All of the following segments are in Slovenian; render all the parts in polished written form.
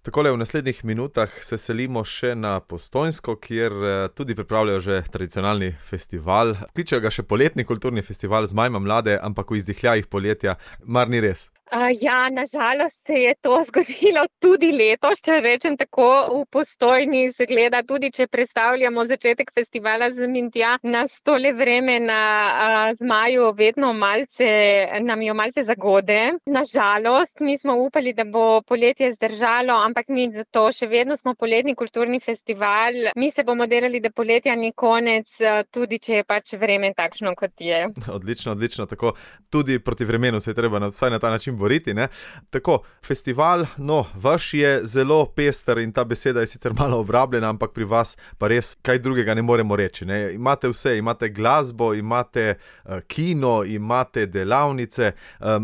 Takole v naslednjih minutah se selimo še na Postojnsko, kjer tudi pripravljajo že tradicionalni festival. Kličejo ga še poletni kulturni festival Zmajma mlade, ampak v izdihljajih poletja, mar ni res? Ja, na žalost se je to zgodilo tudi letos, če rečem tako, v Postojni se gleda, tudi če predstavljamo začetek festivala sem in tja, nas tole vreme na Zmaju vedno nam jo malce zagode. Na žalost, mi smo upali, da bo poletje zdržalo, ampak nič zato, še vedno smo poletni kulturni festival. Mi se bomo delali, da poletja ni konec, tudi če je pač vreme takšno, kot je. Odlično, odlično, tako tudi proti vremenu se je treba vsaj na ta način boriti, ne? Tako, festival, vaš je zelo pester in ta beseda je sicer malo obrabljena, ampak pri vas pa res kaj drugega ne moremo reči, ne? Imate vse, imate glasbo, imate kino, imate delavnice,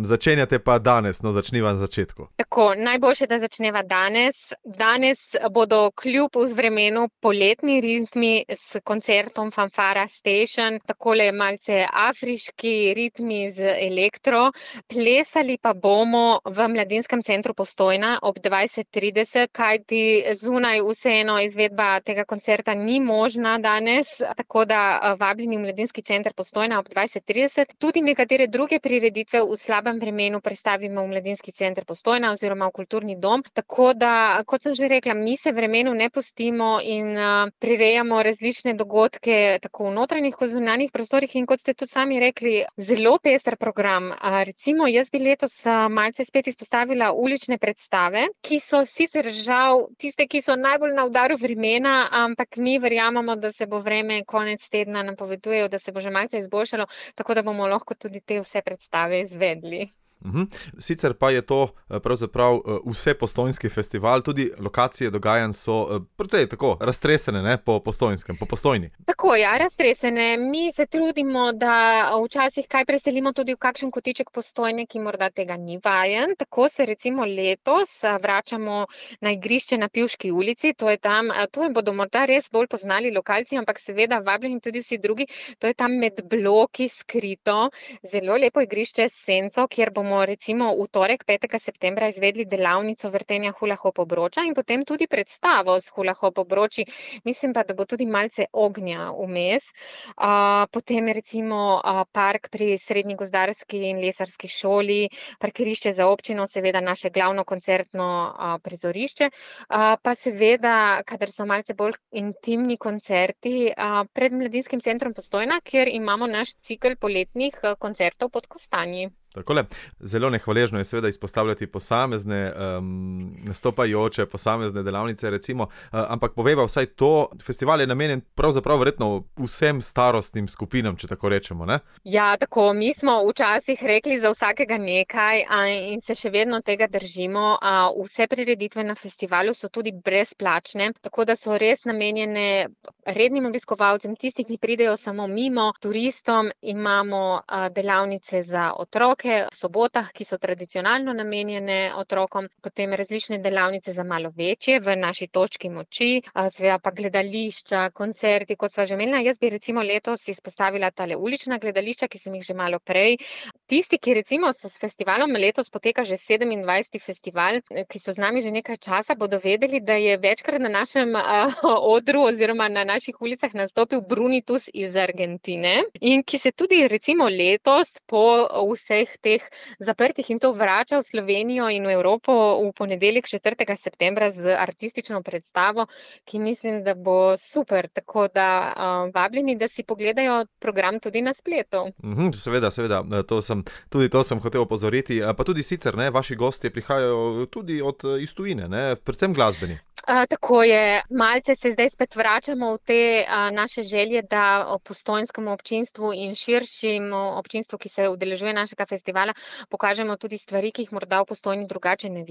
začenjate pa danes, začniva na začetku. Tako, najboljše, da začneva danes. Danes bodo kljub vremenu poletni ritmi s koncertom Fanfara Station, takole malce afriški ritmi z elektro. Plesali pa bomo v Mladinskem centru Postojna ob 20:30, kajti zunaj vseeno izvedba tega koncerta ni možna danes, tako da vabljeni v Mladinski center Postojna ob 20:30. Tudi nekatere druge prireditve v slabem vremenu prestavimo v Mladinski center Postojna oziroma v kulturni dom, tako da, kot sem že rekla, mi se vremenu ne pustimo in prirejamo različne dogodke tako v notranjih kot zunanjih prostorih in kot ste tudi sami rekli, zelo pester program. Recimo, jaz bi letos malce spet izpostavila ulične predstave, ki so sicer žal tiste, ki so najbolj na udaru vremena, ampak mi verjamemo, da se bo vreme konec tedna napovedujejo, da se bo že malce izboljšalo, tako da bomo lahko tudi te vse predstave izvedli. Sicer pa je to pravzaprav vsepostojnski festival, tudi lokacije dogajanj so precej tako raztresene, ne, po Postojnskem, po Postojni. Tako, ja, raztresene. Mi se trudimo, da včasih kaj preselimo tudi v kakšen kotiček Postojne, ki morda tega ni vajen. Tako se recimo letos vračamo na igrišče na Pivški ulici, to je tam, to bodo morda res bolj poznali lokalci, ampak seveda vabljeni tudi vsi drugi, to je tam med bloki skrito, zelo lepo igrišče s senco, kjer bomo recimo v torek 5. septembra izvedli delavnico vrtenja hula-hop obroča in potem tudi predstavo s hula-hop obroči. Mislim pa, da bo tudi malce ognja vmes. Potem recimo park pri Srednji gozdarski in lesarski šoli, parkirišče za občino, seveda naše glavno koncertno prizorišče, pa seveda, kadar so malce bolj intimni koncerti, pred Mladinskim centrom Postojna, kjer imamo naš cikel poletnih koncertov pod kostanji. Takole, zelo nehvaležno je seveda izpostavljati posamezne nastopajoče, posamezne delavnice recimo, ampak povejva vsaj to, festival je namenjen pravzaprav verjetno vsem starostnim skupinam, če tako rečemo, ne? Ja, tako, mi smo včasih rekli za vsakega nekaj in se še vedno tega držimo. Vse prireditve na festivalu so tudi brezplačne, tako da so res namenjene rednim obiskovalcem, tistim, ki pridejo samo mimo, turistom. Imamo delavnice za otroke v sobotah, ki so tradicionalno namenjene otrokom, potem različne delavnice za malo večje v naši točki moči, seveda pa gledališča, koncerti, kot sva že omenila. Jaz bi recimo letos izpostavila tale ulična gledališča, ki sem jih že malo prej. Tisti, ki recimo so s festivalom, letos poteka že 27. festival, ki so z nami že nekaj časa, bodo vedeli, da je večkrat na našem odru oziroma na naših ulicah nastopil Brunitus iz Argentine in ki se tudi recimo letos po vseh teh zaprtih in to vrača v Slovenijo in v Evropo v ponedeljek 4. septembra z artistično predstavo, ki mislim, da bo super, tako da vabljeni, da si pogledajo program tudi na spletu. Seveda, tudi to sem hotel opozoriti, pa tudi sicer, ne, vaši gostje prihajajo tudi iz tujine, ne, predvsem glasbeni. Tako je, malce se zdaj spet vračamo v te naše želje, da postojnskemu občinstvu in širšemu občinstvu, ki se udeležuje našega festivala, pokažemo tudi stvari, ki jih morda v Postojni drugače ne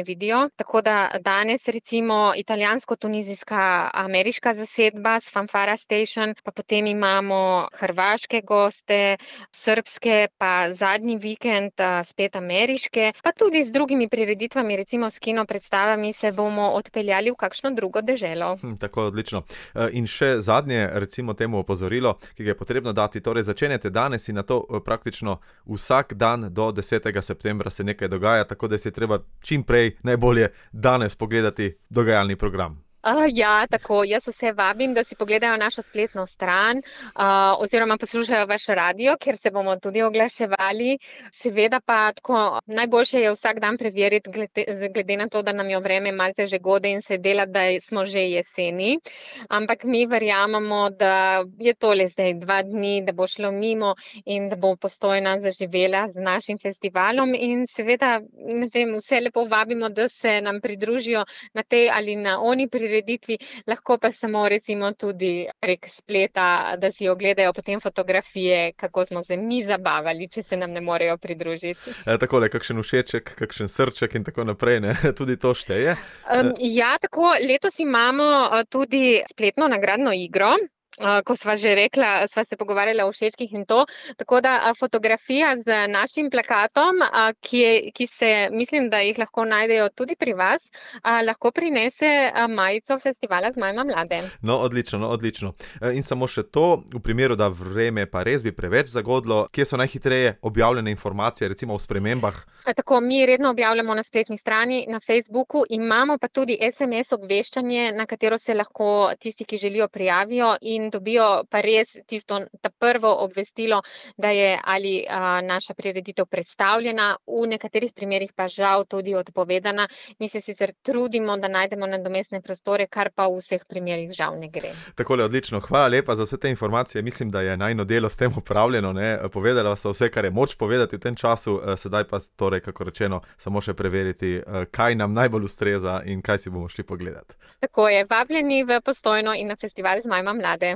vidijo. Tako da danes recimo italijansko-tunizijska ameriška zasedba s Fanfara Station, pa potem imamo hrvaške goste, srbske, pa zadnji vikend spet ameriške, pa tudi z drugimi prireditvami, recimo s kino predstavami se bomo odpeljali odpeljali v kakšno drugo deželo. Tako, odlično. In še zadnje, recimo temu opozorilo, ki ga je potrebno dati, torej začenjate danes in na to praktično vsak dan do 10. septembra se nekaj dogaja, tako da si je treba čim prej, najbolje danes pogledati dogajalni program. Ja, tako. Jaz vse vabim, da si pogledajo našo spletno stran oziroma poslušajo vaš radio, kjer se bomo tudi oglaševali. Seveda pa tako najboljše je vsak dan preveriti, glede na to, da nam je vreme malce že gode in se dela, da smo že jeseni. Ampak mi verjamemo, da je tole zdaj 2 dni, da bo šlo mimo in da bo Postojna zaživela z našim festivalom. In seveda, ne vem, vse lepo vabimo, da se nam pridružijo na tej ali na oni prireditvi, lahko pa samo recimo tudi prek spleta, da si ogledajo potem fotografije, kako smo se mi zabavali, če se nam ne morejo pridružiti. Takole, kakšen všeček, kakšen srček in tako naprej, ne? Tudi to šteje? Ja, tako, letos imamo tudi spletno nagradno igro. Ko sva že rekla, sva se pogovarjala o všečkih in to, tako da fotografija z našim plakatom, ki se, mislim, da jih lahko najdejo tudi pri vas, lahko prinese majico festivala Zmajma mlade. No, odlično. In samo še to, v primeru, da vreme pa res bi preveč zagodlo, kje so najhitreje objavljene informacije, recimo o spremembah? Tako, mi redno objavljamo na spletni strani, na Facebooku, imamo pa tudi SMS obveščanje, na katero se lahko tisti, ki želijo, prijavijo in dobijo pa res ta prvo obvestilo, da je ali naša prireditev predstavljena, v nekaterih primerih pa žal tudi odpovedana. Mi se sicer trudimo, da najdemo nadomestne prostore, kar pa v vseh primerih žal ne gre. Takole, odlično. Hvala lepa za vse te informacije. Mislim, da je najino delo s tem opravljeno, ne? Povedala so vse, kar je moč povedati v tem času, sedaj pa torej, kako rečeno, samo še preveriti, kaj nam najbolj ustreza in kaj si bomo šli pogledati. Tako je, vabljeni v Postojno in na festival Zmajma mlade.